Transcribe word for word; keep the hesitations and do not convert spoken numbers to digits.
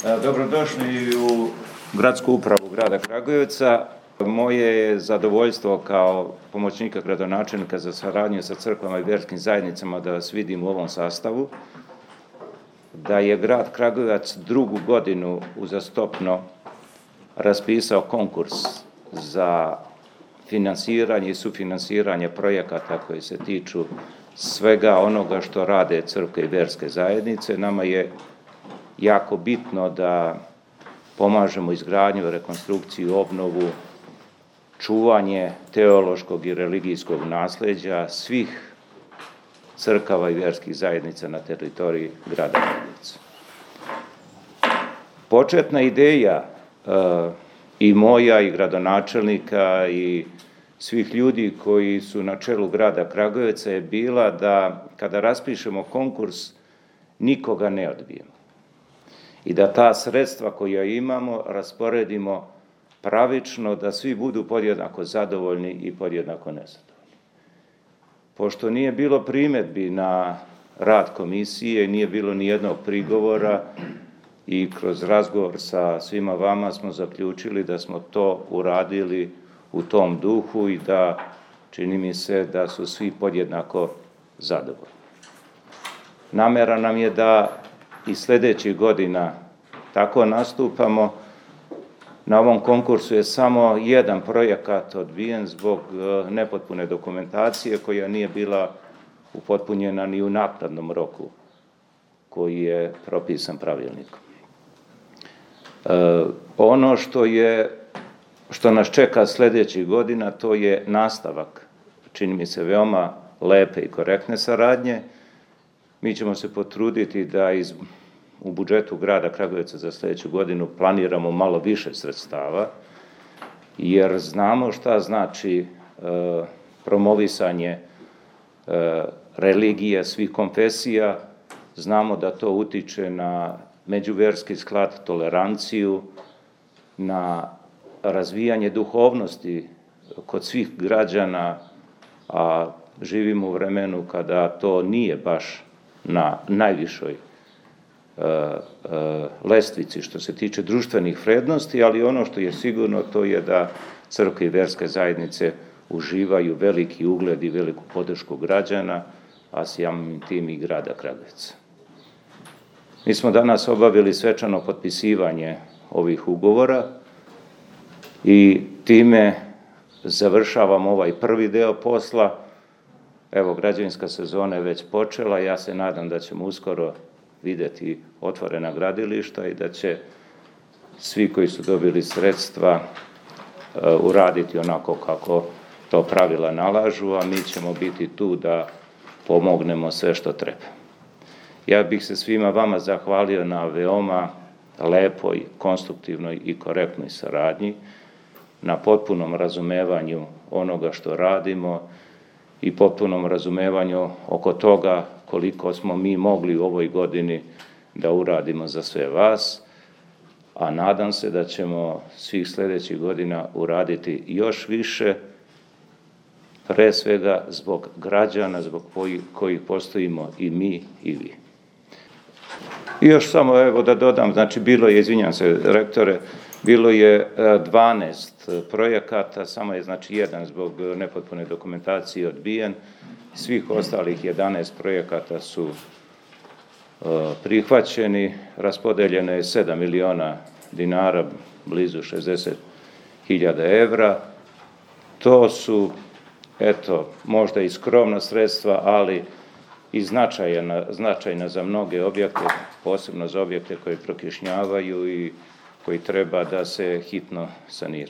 Dobrodošli u gradsku upravu grada Kragujevca. Moje je zadovoljstvo kao pomoćnika gradonačelnika za saradnju sa crkvama i vjerskim zajednicama da vas vidim u ovom sastavu, da je grad Kragujevac drugu godinu uzastopno raspisao konkurs za finansiranje i sufinansiranje projekata koji se tiču svega onoga što rade crkve i vjerske zajednice. Nama je jako bitno da pomažemo izgradnju, rekonstrukciju, obnovu, čuvanje teološkog i religijskog nasljeđa svih crkava i vjerskih zajednica na teritoriji grada Kragujevca. Početna ideja e, i moja i gradonačelnika i svih ljudi koji su na čelu grada Kragujevca je bila da kada raspišemo konkurs nikoga ne odbijemo i da ta sredstva koja imamo rasporedimo pravično, da svi budu podjednako zadovoljni i podjednako nezadovoljni. Pošto nije bilo primjedbi na rad komisije, nije bilo ni jednog prigovora i kroz razgovor sa svima vama smo zaključili da smo to uradili u tom duhu i da čini mi se da su svi podjednako zadovoljni. Namera nam je da i sljedećih godina tako nastupamo. Na ovom konkursu je samo jedan projekat odbijen zbog nepotpune dokumentacije koja nije bila upotpunjena ni u naknadnom roku koji je propisan pravilnikom. E, ono što je što nas čeka sljedećih godina, to je nastavak, čini mi se, veoma lepe i korektne saradnje. Mi ćemo se potruditi da iz, u budžetu grada Kragujevca za sljedeću godinu planiramo malo više sredstava, jer znamo šta znači e, promovisanje e, religije svih konfesija, znamo da to utiče na međuvjerski sklad, toleranciju, na razvijanje duhovnosti kod svih građana, a živimo u vremenu kada to nije baš na najvišoj e, e, lestvici što se tiče društvenih vrijednosti, ali ono što je sigurno to je da crkve i vjerske zajednice uživaju veliki ugled i veliku podršku građana, a samim tim i grada Kragujevca. Mi smo danas obavili svečano potpisivanje ovih ugovora i time završavamo ovaj prvi deo posla. Evo, građevinska sezona je već počela, ja se nadam da ćemo uskoro vidjeti otvorena gradilišta i da će svi koji su dobili sredstva uh, uraditi onako kako to pravila nalažu, a mi ćemo biti tu da pomognemo sve što treba. Ja bih se svima vama zahvalio na veoma lepoj, konstruktivnoj i korektnoj saradnji, na potpunom razumevanju onoga što radimo i potpunom razumevanju oko toga koliko smo mi mogli u ovoj godini da uradimo za sve vas, a nadam se da ćemo svih sljedećih godina uraditi još više, pre svega zbog građana, zbog kojih, kojih postojimo i mi i vi. I još samo evo da dodam, znači bilo je, izvinjam se rektore, bilo je dvanaest projekata, samo je znači jedan zbog nepotpune dokumentacije odbijen. Svih ostalih jedanaest projekata su uh, prihvaćeni, raspodeljeno je sedam miliona dinara, blizu šezdeset hiljada evra. To su, eto, možda i skromna sredstva, ali i značajna, značajna za mnoge objekte, posebno za objekte koji prokišnjavaju i koji treba da se hitno sanira.